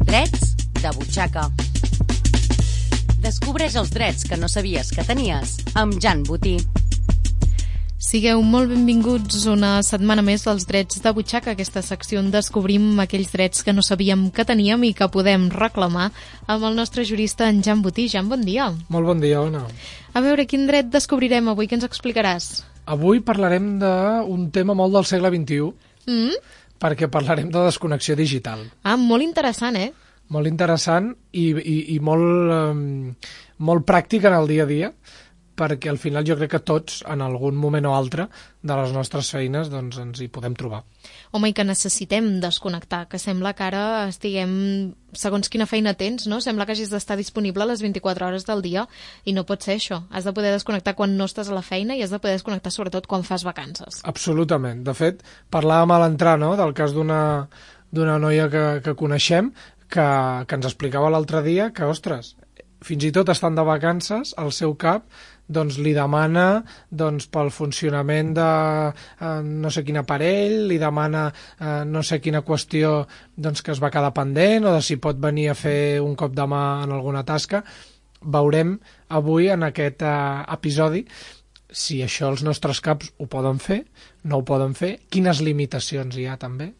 Drets de butxaca. Descobreix els drets que no sabies que tenies amb Jan Botí. Sigueu molt benvinguts una setmana més dels Drets de butxaca, aquesta secció on descobrim aquells drets que no sabíem que teníem i que podem reclamar amb el nostre jurista, en Jan Botí. Jan, bon dia. Molt bon dia, Ona. A veure, quin dret descobrirem avui? Què ens explicaràs? Avui parlarem d'un tema molt del segle XXI, perquè parlarem de desconnexió digital. Ah, molt interessant, eh? Molt interessant i molt pràctic en el dia a dia, perquè al final jo crec que tots, en algun moment o altre de les nostres feines, doncs ens hi podem trobar. Home, i que necessitem desconnectar, que sembla que ara estiguem, segons quina feina tens, no? Sembla que hagis d'estar disponible a les 24 hores del dia i no pot ser això. Has de poder desconnectar quan no estàs a la feina i has de poder desconnectar sobretot quan fas vacances. Absolutament. De fet, parlàvem a l'entrar, no?, del cas d'una noia que coneixem que ens explicava l'altre dia que, ostres, fins i tot estant de vacances, el seu cap doncs li demana pel funcionament de no sé quin aparell, li demana no sé quina qüestió que es va quedar pendent o de si pot venir a fer un cop de mà en alguna tasca. Veurem avui en aquest episodi si això els nostres caps ho poden fer, no ho poden fer, quines limitacions hi ha també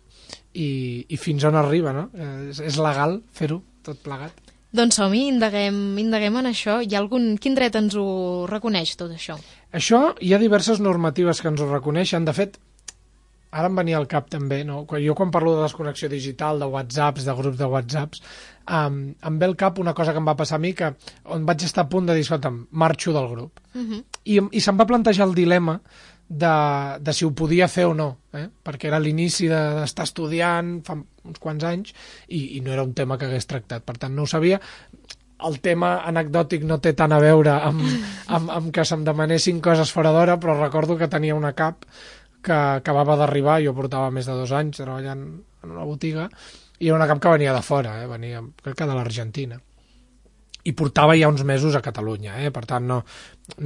i fins on arriba, no? És legal fer-ho tot plegat? Doncs som-hi, indaguem en això. Quin dret ens ho reconeix, tot això? Això hi ha diverses normatives que ens ho reconeixen. De fet, ara em venia al cap també, no? Jo quan parlo de desconnexió digital, de whatsapps, de grups de whatsapps, em ve al cap una cosa que em va passar a mi, on vaig estar a punt de dir, escolta'm, marxo del grup. I se'm va plantejar el dilema de si ho podia fer o no, perquè era l'inici d'estar estudiant fa uns quants anys i no era un tema que hagués tractat, per tant no ho sabia. El tema anecdòtic no té tant a veure amb que se'm demanessin coses fora d'hora, però recordo que tenia una cap que acabava d'arribar, jo portava més de 2 anys treballant en una botiga, i era una cap que venia de fora, venia crec que de l'Argentina. I portava ja uns mesos a Catalunya, per tant no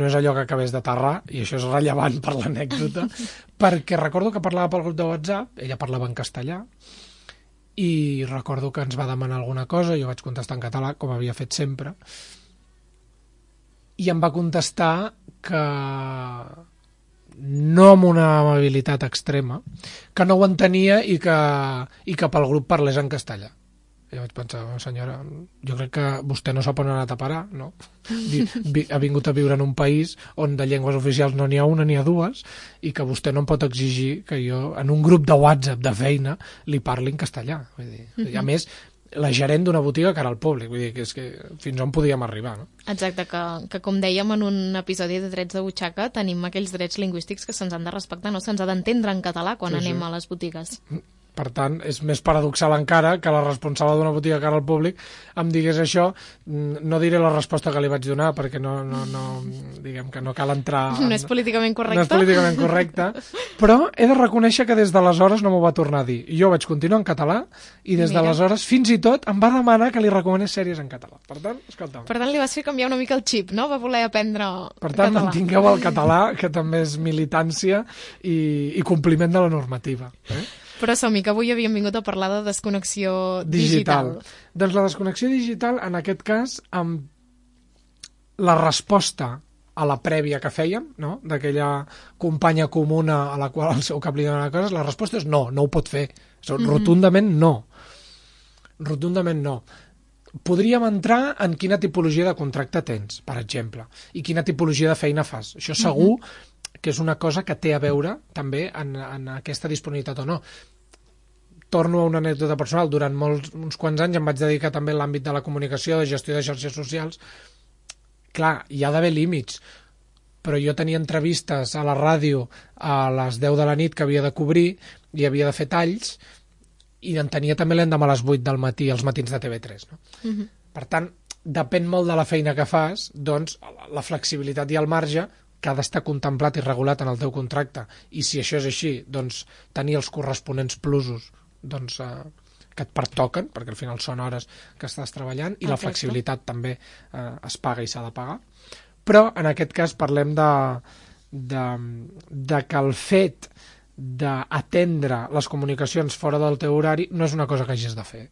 és allò que acabés d'aterrar, i això és rellevant per l'anècdota, perquè recordo que parlava pel grup de WhatsApp, ella parlava en castellà, i recordo que ens va demanar alguna cosa, jo vaig contestar en català, com havia fet sempre, i em va contestar que no amb una amabilitat extrema, que no ho entenia i que pel grup parlés en castellà. I vaig pensar, senyora, jo crec que vostè no sap on ha anat a parar, no? Ha vingut a viure en un país on de llengües oficials no n'hi ha una ni ha dues i que vostè no em pot exigir que jo, en un grup de WhatsApp de feina, li parli en castellà. Vull dir, i a més, la gerent d'una botiga cara al públic, vull dir que és que fins on podíem arribar, no? Exacte, que com dèiem en un episodi de Drets de butxaca, tenim aquells drets lingüístics que se'ns han de respectar, no? Se'ns ha d'entendre en català quan anem a les botigues. Per tant, és més paradoxal encara que la responsable d'una botiga cara al públic em digués això. No diré la resposta que li vaig donar, perquè diguem que no cal entrar... No és políticament correcte. No és políticament correcte, però he de reconèixer que des d'aleshores no m'ho va tornar a dir. Jo vaig continuar en català i des d'aleshores fins i tot em va demanar que li recomanés sèries en català. Per tant, escolta'm. Per tant, li vas fer canviar una mica el xip, no? Va voler aprendre per tant, català. Mantingueu el català, que també és militància i compliment de la normativa. Però som-hi, que avui havíem vingut a parlar de desconnexió digital. Doncs la desconnexió digital, en aquest cas, amb la resposta a la prèvia que fèiem, no?, d'aquella companya comuna a la qual el seu cap li donava coses, la resposta és no ho pot fer. Rotundament no. Rotundament no. Podríem entrar en quina tipologia de contracte tens, per exemple, i quina tipologia de feina fas. Això segur que és una cosa que té a veure també en aquesta disponibilitat o no. Torno a una anècdota personal. Durant uns quants anys em vaig dedicar també a l'àmbit de la comunicació, de gestió de xarxes socials. Clar, hi ha d'haver límits, però jo tenia entrevistes a la ràdio a les 10 de la nit que havia de cobrir i havia de fer talls, i en tenia també l'endemà a les 8 del matí, els matins de TV3. No? Per tant, depèn molt de la feina que fas, doncs la flexibilitat i el marge que ha d'estar contemplat i regulat en el teu contracte, i si això és així, doncs tenir els corresponents plusos que et pertoquen, perquè al final són hores que estàs treballant, i la flexibilitat també es paga i s'ha de pagar. Però en aquest cas parlem de que el fet d'atendre les comunicacions fora del teu horari no és una cosa que hagis de fer.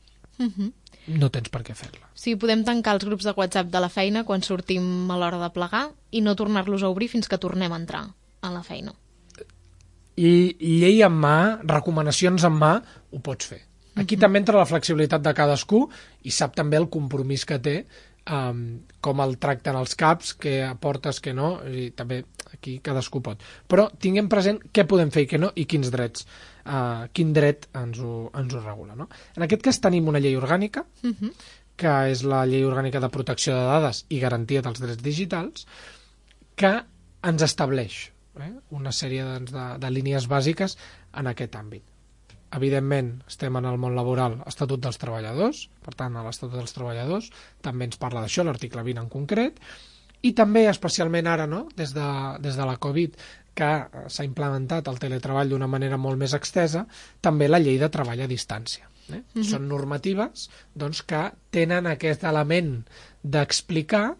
no tens per què fer-la. Sí, podem tancar els grups de WhatsApp de la feina quan sortim a l'hora de plegar i no tornar-los a obrir fins que tornem a entrar a la feina. I llei en mà, recomanacions en mà, ho pots fer. Aquí també entra la flexibilitat de cadascú i sap també el compromís que té, com el tracten els caps, què aportes, què no, i també aquí cadascú pot. Però tinguem present què podem fer i què no i quins drets, quin dret ens ho regula. No? En aquest cas tenim una llei orgànica, que és la Llei Orgànica de Protecció de Dades i Garantia dels Drets Digitals, que ens estableix una sèrie de línies bàsiques en aquest àmbit. Evidentment, estem en el món laboral, Estatut dels Treballadors, per tant, a l'Estatut dels Treballadors també ens parla d'això, l'article 20 en concret, i també, especialment ara, no? des de la Covid, que s'ha implementat el teletreball d'una manera molt més extesa, també la llei de treball a distància. Són normatives doncs, que tenen aquest element d'explicar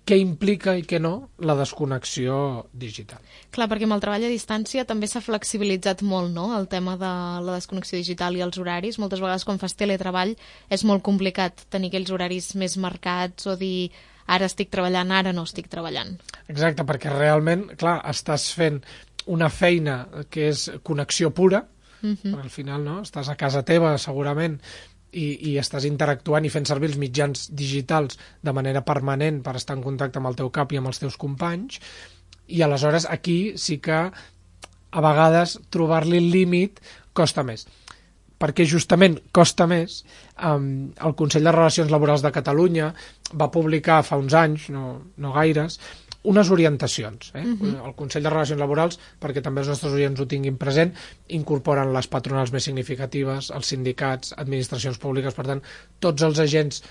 què implica i què no la desconnexió digital. Clar, perquè amb el treball a distància també s'ha flexibilitzat molt, no?, el tema de la desconnexió digital i els horaris. Moltes vegades quan fas teletreball és molt complicat tenir aquells horaris més marcats o dir ara estic treballant, ara no estic treballant. Exacte, perquè realment, clar, estàs fent una feina que és connexió pura, al final no? Estàs a casa teva segurament i estàs interactuant i fent servir els mitjans digitals de manera permanent per estar en contacte amb el teu cap i amb els teus companys, i aleshores aquí sí que a vegades trobar-li el límit costa més. Perquè justament costa més, el Consell de Relacions Laborals de Catalunya va publicar fa uns anys, no gaires, unes orientacions. El Consell de Relacions Laborals, perquè també els nostres oients ho tinguin present, incorporen les patronals més significatives, els sindicats, administracions públiques, per tant, tots els agents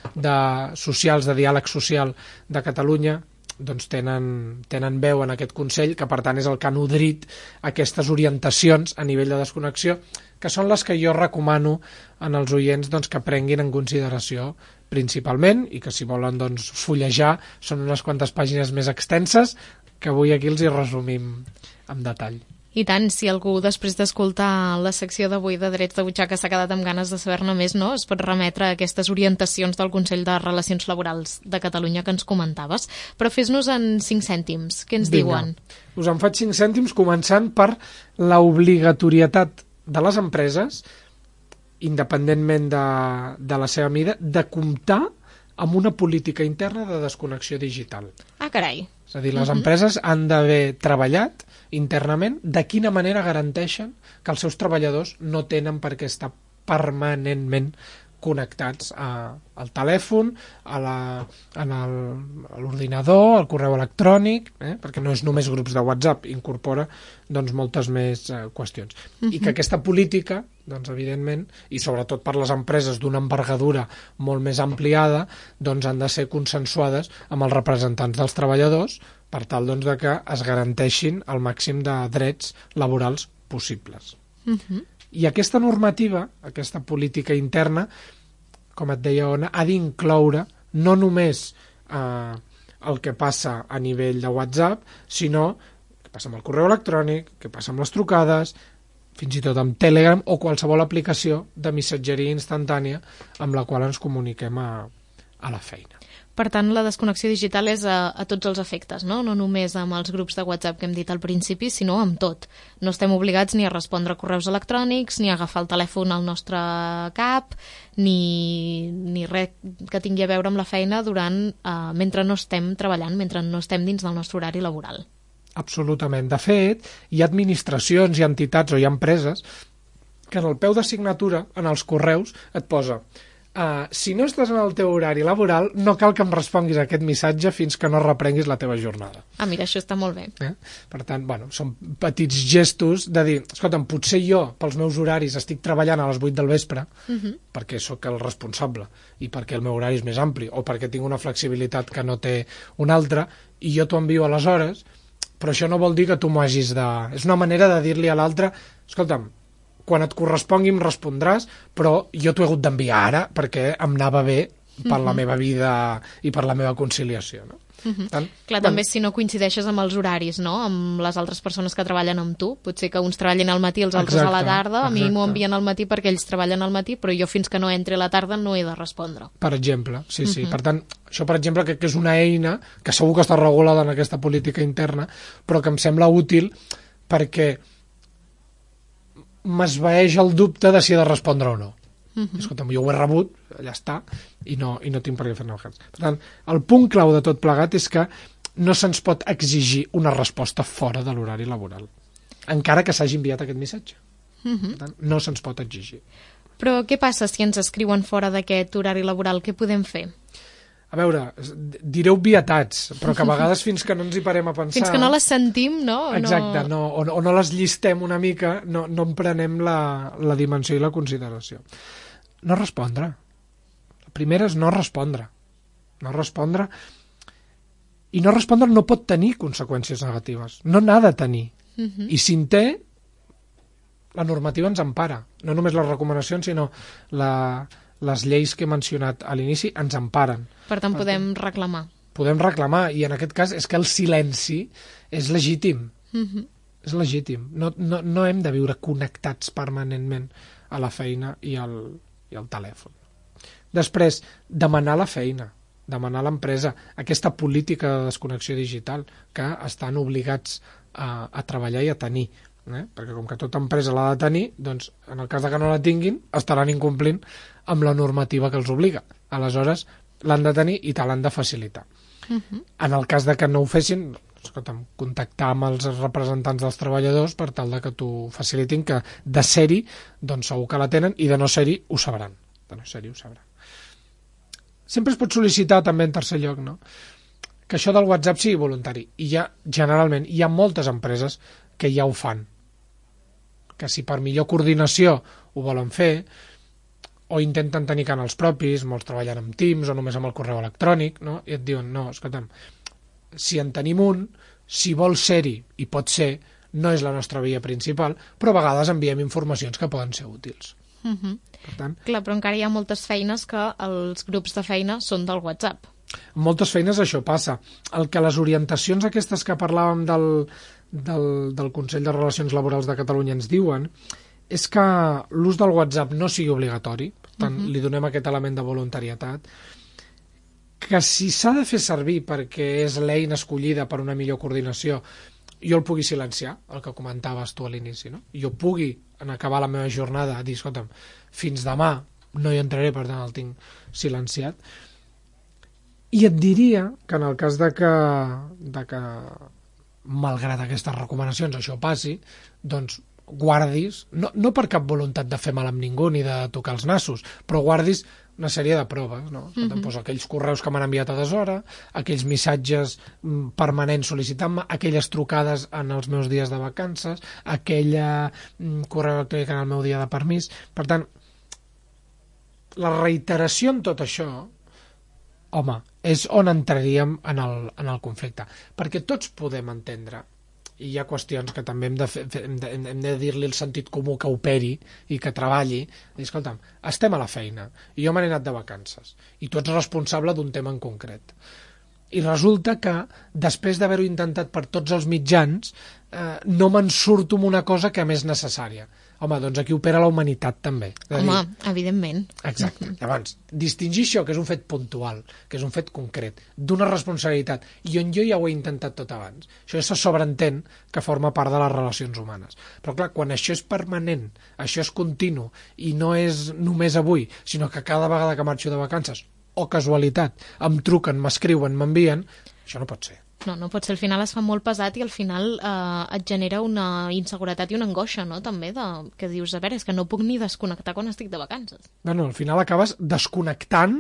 socials, de diàleg social de Catalunya, doncs tenen veu en aquest Consell, que per tant és el que ha nodrit aquestes orientacions a nivell de desconnexió, que són les que jo recomano en els oients doncs, que prenguin en consideració principalment, i que si volen doncs, fullejar són unes quantes pàgines més extenses que avui aquí els hi resumim en detall. I tant, si algú després d'escoltar la secció d'avui de Drets de Butxaca s'ha quedat amb ganes de saber-ne més, no? Es pot remetre a aquestes orientacions del Consell de Relacions Laborals de Catalunya que ens comentaves. Però fes-nos en 5 cèntims. Què ens diuen? Us en faig 5 cèntims començant per l'obligatorietat de les empreses, independentment de la seva mida, de comptar amb una política interna de desconnexió digital. Ah, carai! És a dir, les empreses han d'haver treballat internament de quina manera garanteixen que els seus treballadors no tenen per què estar permanentment connectats al telèfon, a l'ordinador, al correu electrònic, perquè no és només grups de WhatsApp, incorpora doncs, moltes més qüestions. I que aquesta política, doncs, evidentment, i sobretot per les empreses d'una envergadura molt més ampliada, doncs, han de ser consensuades amb els representants dels treballadors per tal doncs, de que es garanteixin el màxim de drets laborals possibles. I aquesta normativa, aquesta política interna, com et deia Ona, ha d'incloure no només el que passa a nivell de WhatsApp, sinó què passa amb el correu electrònic, què passa amb les trucades, fins i tot amb Telegram o qualsevol aplicació de missatgeria instantània amb la qual ens comuniquem a la feina. Per tant, la desconnexió digital és a tots els efectes, no? No només amb els grups de WhatsApp que hem dit al principi, sinó amb tot. No estem obligats ni a respondre correus electrònics, ni a agafar el telèfon al nostre cap, ni res que tingui a veure amb la feina mentre no estem treballant, mentre no estem dins del nostre horari laboral. Absolutament. De fet, hi ha administracions, hi ha entitats o hi ha empreses que en el peu de signatura, en els correus, et posa si no estàs en el teu horari laboral, no cal que em responguis a aquest missatge fins que no reprenguis la teva jornada. Ah, mira, això està molt bé. Per tant, són petits gestos de dir, escolta'm, potser jo, pels meus horaris, estic treballant a les 8 del vespre, perquè sóc el responsable i perquè el meu horari és més ampli, o perquè tinc una flexibilitat que no té un altre, i jo t'ho envio a les hores, però això no vol dir que tu m'ho hagis de... És una manera de dir-li a l'altre, escolta'm, quan et correspongui em respondràs, però jo t'ho he hagut d'enviar ara perquè em anava bé per la meva vida i per la meva conciliació, no? Clar, també si no coincideixes amb els horaris, no? Amb les altres persones que treballen amb tu. Potser que uns treballin al matí, els altres a la tarda. A mi m'ho envien al matí perquè ells treballen al matí, però jo fins que no entri a la tarda no he de respondre. Per exemple, sí. Per tant, això, per exemple, que és una eina que segur que està regulada en aquesta política interna, però que em sembla útil perquè m'esvaeix el dubte de si he de respondre o no. Escolta'm, jo ho he rebut, ja està, i no tinc per què fer-ne el cas. Per tant, el punt clau de tot plegat és que no se'ns pot exigir una resposta fora de l'horari laboral, encara que s'hagi enviat aquest missatge. Per tant, no se'ns pot exigir. Però què passa si ens escriuen fora d'aquest horari laboral? Què podem fer? A veure, diré obvietats, però que a vegades fins que no ens hi parem a pensar... Fins que no les sentim, no? Exacte, o no les llistem una mica, no en prenem la dimensió i la consideració. No respondre. La primera és no respondre. No respondre. I no respondre no pot tenir conseqüències negatives. No n'ha de tenir. I si en té, la normativa ens empara. No només les recomanacions, sinó les lleis que he mencionat a l'inici ens emparen. Per tant, podem reclamar. Podem reclamar, i en aquest cas és que el silenci és legítim. És legítim. No hem de viure connectats permanentment a la feina i al telèfon. Després, demanar la feina, demanar a l'empresa aquesta política de desconnexió digital que estan obligats a treballar i a tenir. Perquè com que tota empresa l'ha de tenir, doncs en el cas de que no la tinguin estaran incomplint amb la normativa que els obliga. Aleshores l'han de tenir i te l'han de facilitar. En el cas de que no ho fessin, escolta'm, contactar amb els representants dels treballadors per tal de que t'ho facilitin, que de ser-hi doncs segur que la tenen, i de no ser-hi ho sabran. Sempre es pot sol·licitar també en tercer lloc, no?, que això del WhatsApp sigui voluntari, i generalment hi ha moltes empreses que ja ho fan, que si per millor coordinació ho volen fer, o intenten tenir canals propis, molts treballen amb Teams o només amb el correu electrònic, no? I et diuen, no, escolta'm, si en tenim un, si vol ser-hi, i pot ser, no és la nostra via principal, però a vegades enviem informacions que poden ser útils. Per tant, clar, però encara hi ha moltes feines que els grups de feina són del WhatsApp. En moltes feines això passa. El que les orientacions aquestes que parlàvem del Consell de Relacions Laborals de Catalunya ens diuen és que l'ús del WhatsApp no sigui obligatori, per tant, li donem aquest element de voluntarietat, que si s'ha de fer servir perquè és l'eina escollida per una millor coordinació, jo el pugui silenciar, el que comentaves tu a l'inici, no? Jo pugui, en acabar la meva jornada, dir, escolta'm, fins demà no hi entraré, per tant el tinc silenciat. I et diria que en el cas de que malgrat aquestes recomanacions això passi, doncs guardis, no per cap voluntat de fer mal amb ningú ni de tocar els nassos, però guardis una sèrie de proves, no? Doncs aquells correus que m'han enviat a deshora, aquells missatges permanents sol·licitant-me, aquelles trucades en els meus dies de vacances, aquella correu electrònic en el meu dia de permís. Per tant, la reiteració en tot això, home, és on entraríem en el conflicte. Perquè tots podem entendre, i hi ha qüestions que també hem de dir-li el sentit comú que operi i que treballi, i escolta'm, estem a la feina, i jo me n'he anat de vacances, i tu ets responsable d'un tema en concret. I resulta que, després d'haver-ho intentat per tots els mitjans, no me'n surto amb una cosa que m'és necessària. Home, doncs aquí opera la humanitat també. Home, evidentment. Exacte. Llavors, distingir això, que és un fet puntual, que és un fet concret, d'una responsabilitat, i on jo ja ho he intentat tot abans. Això se sobreentén que forma part de les relacions humanes. Però clar, quan això és permanent, això és continu, i no és només avui, sinó que cada vegada que marxo de vacances, o casualitat, em truquen, m'escriuen, m'envien, això no pot ser. No pot ser. Al final es fa molt pesat i al final et genera una inseguretat i una angoixa, no?, també, que dius, a veure, és que no puc ni desconnectar quan estic de vacances. Bueno, al final acabes desconnectant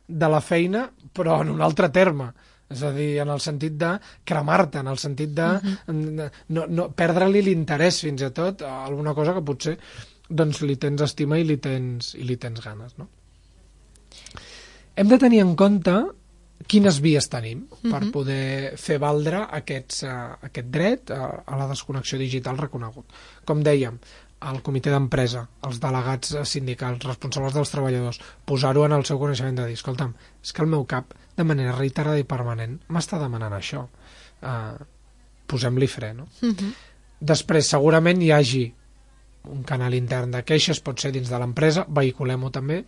de la feina, però en un altre terme. És a dir, en el sentit de cremar-te, en el sentit de no perdre-li l'interès, fins i tot, a alguna cosa que potser doncs, li tens estima i li tens ganes, no? Hem de tenir en compte quines vies tenim per poder fer valdre aquest dret a la desconnexió digital reconegut. Com dèiem, al comitè d'empresa, els delegats sindicals, responsables dels treballadors, posar-ho en el seu coneixement de dir, escolta'm, és que el meu cap, de manera reiterada i permanent, m'està demanant això. Posem-li fre, no? Després, segurament hi hagi un canal intern de queixes, pot ser dins de l'empresa, vehiculem-ho també,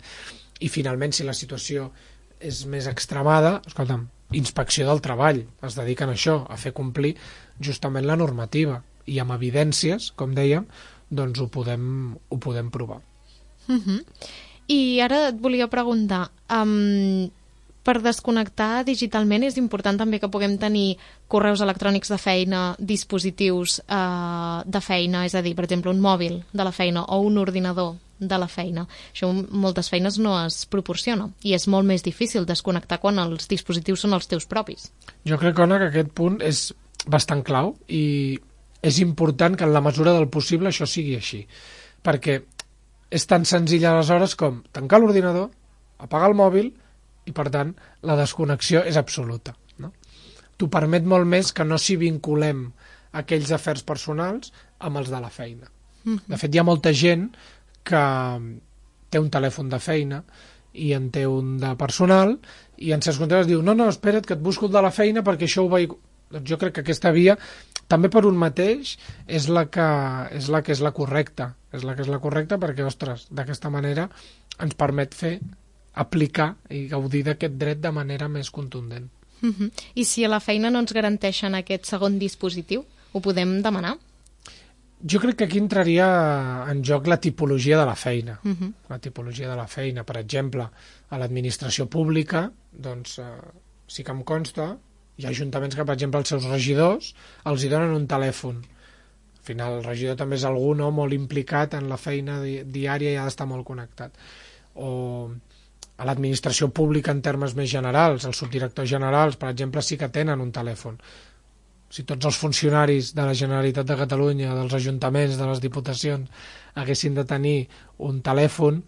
i finalment, si la situació és més extremada, escolta'm, inspecció del treball, es dediquen a això, a fer complir justament la normativa, i amb evidències, com dèiem, doncs ho podem provar. I ara et volia preguntar, per desconnectar digitalment és important també que puguem tenir correus electrònics de feina, dispositius de feina, és a dir, per exemple, un mòbil de la feina o un ordinador de la feina. Això en moltes feines no es proporciona i és molt més difícil desconnectar quan els dispositius són els teus propis. Jo crec, Ona, que aquest punt és bastant clau i és important que en la mesura del possible això sigui així, perquè és tan senzill aleshores com tancar l'ordinador, apagar el mòbil i, per tant, la desconnexió és absoluta. No? T'ho permet molt més que no s'hi vinculem aquells afers personals amb els de la feina. De fet, hi ha molta gent que té un telèfon de feina i en té un de personal i en certs contextos diu, no, espera't que et busco el de la feina perquè això ho veig... Doncs jo crec que aquesta via, també per un mateix, és la que és la correcta. És la que és la correcta perquè, ostres, d'aquesta manera ens permet aplicar i gaudir d'aquest dret de manera més contundent. I si a la feina no ens garanteixen aquest segon dispositiu, ho podem demanar? Jo crec que aquí entraria en joc la tipologia de la feina. La tipologia de la feina, per exemple, a l'administració pública, doncs sí que em consta, hi ha ajuntaments que, per exemple, els seus regidors els hi donen un telèfon. Al final, el regidor també és algú molt implicat en la feina diària i ha d'estar molt connectat. O a l'administració pública en termes més generals, els subdirectors generals, per exemple, sí que tenen un telèfon. Si tots els funcionaris de la Generalitat de Catalunya, dels ajuntaments, de les diputacions, haguessin de tenir un telèfon,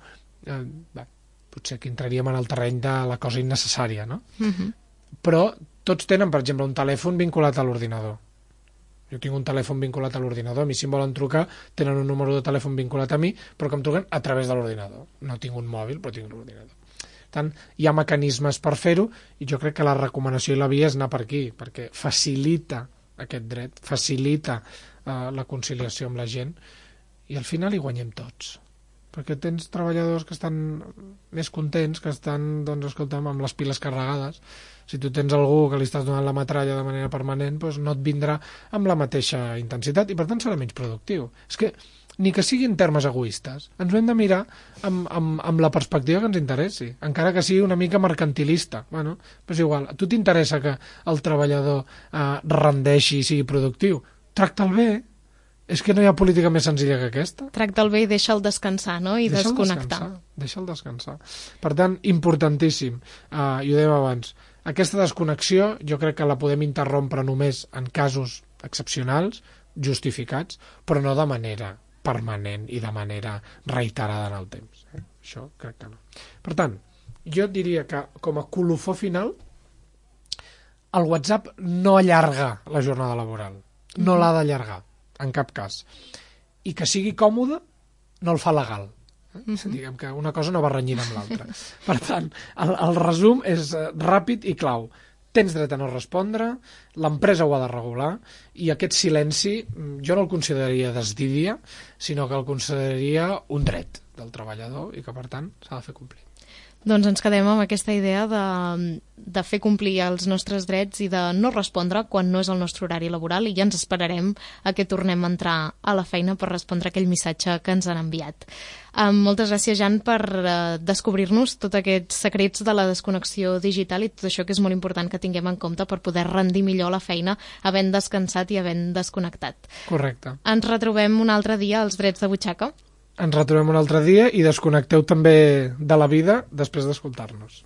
potser que entraríem en el terreny de la cosa innecessària, no? Però tots tenen, per exemple, un telèfon vinculat a l'ordinador. Jo tinc un telèfon vinculat a l'ordinador. A mi, si em volen trucar, tenen un número de telèfon vinculat a mi, però que em truquen a través de l'ordinador. No tinc un mòbil, però tinc l'ordinador. Per tant, hi ha mecanismes per fer-ho i jo crec que la recomanació i la via és anar per aquí, perquè facilita aquest dret, facilita la conciliació amb la gent i al final hi guanyem tots. Perquè tens treballadors que estan més contents, que estan, doncs, escolta'm, amb les piles carregades. Si tu tens algú que li estàs donant la metralla de manera permanent, doncs no et vindrà amb la mateixa intensitat i, per tant, serà menys productiu. És que, ni que sigui en termes egoistes, ens ho hem de mirar amb la perspectiva que ens interessi, encara que sigui una mica mercantilista. Bueno, però és igual, a tu t'interessa que el treballador rendeixi i sigui productiu? Tracta'l bé. És que no hi ha política més senzilla que aquesta. Tracta'l bé i deixa'l descansar, no? I desconnectar. Deixa'l descansar. Per tant, importantíssim, i ho dèiem abans, aquesta desconnexió jo crec que la podem interrompre només en casos excepcionals, justificats, però no de manera permanent i de manera reiterada en el temps. Això crec que no. Per tant, jo diria que com a colofó final, el WhatsApp no allarga la jornada laboral. No l'ha d'allargar, en cap cas. I que sigui còmode no el fa legal. Diguem que una cosa no va renyida amb l'altra. Per tant, el resum és ràpid i clau. Tens dret a no respondre, l'empresa ho ha de regular, i aquest silenci jo no el consideraria desdídia, sinó que el consideraria un dret del treballador i que, per tant, s'ha de fer complir. Doncs ens quedem amb aquesta idea de fer complir els nostres drets i de no respondre quan no és el nostre horari laboral i ja ens esperarem a que tornem a entrar a la feina per respondre aquell missatge que ens han enviat. Moltes gràcies, Jan, per descobrir-nos tots aquests secrets de la desconnexió digital i tot això que és molt important que tinguem en compte per poder rendir millor la feina havent descansat i havent desconnectat. Correcte. Ens retrobem un altre dia als Drets de Butxaca. Ens retrobem un altre dia i desconnecteu també de la vida després d'escoltar-nos.